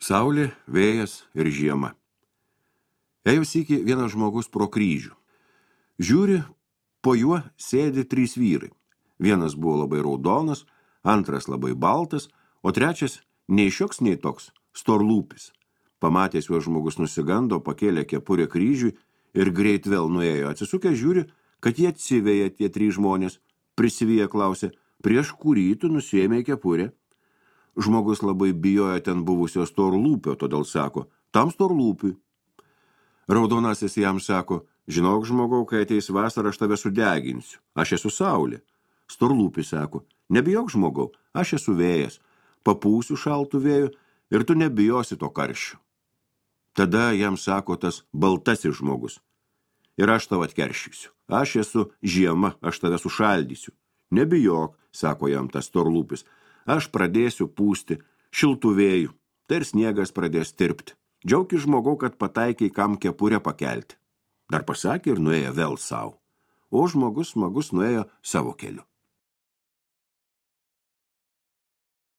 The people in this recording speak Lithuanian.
Saulė, vėjas ir žiema. Ėjo sykį vienas žmogus pro kryžių. Žiūri, po juo sėdi 3 vyrai. Vienas buvo labai raudonas, antras labai baltas, o trečias nei šioks, nei toks, storlūpis. Pamatęs juos žmogus nusigando, pakėlė kepurę kryžiui ir greit vėl nuėjo. Atsisukę žiūri, kad jie atsiveja tie 3 žmonės. Prisivyję klausė, prieš kurį tu nusiėmė kepurę? Žmogus labai bijojo ten buvusio storlūpio, todėl sako, tam storlūpiui. Raudonasis jam sako, žinok žmogau, kai ateis vasara, aš tave sudeginsiu. Aš esu saulė. Storlūpis sako, nebijok žmogau, aš esu vėjas. Papūsiu šaltų vėjų ir tu nebijosi to karščio. Tada jam sako tas baltasis žmogus. Ir aš tau atkeršysiu. Aš esu žiema, aš tave sušaldysiu. Nebijok, sako jam tas storlūpis. Aš pradėsiu pūsti šiltų vėjų, tai ir sniegas pradės tirpti. Džiaukis žmogau, kad pataikiai kam kepurę pakelti. Dar pasakė ir nuėjo vėl savo. O žmogus smagus nuėjo savo keliu.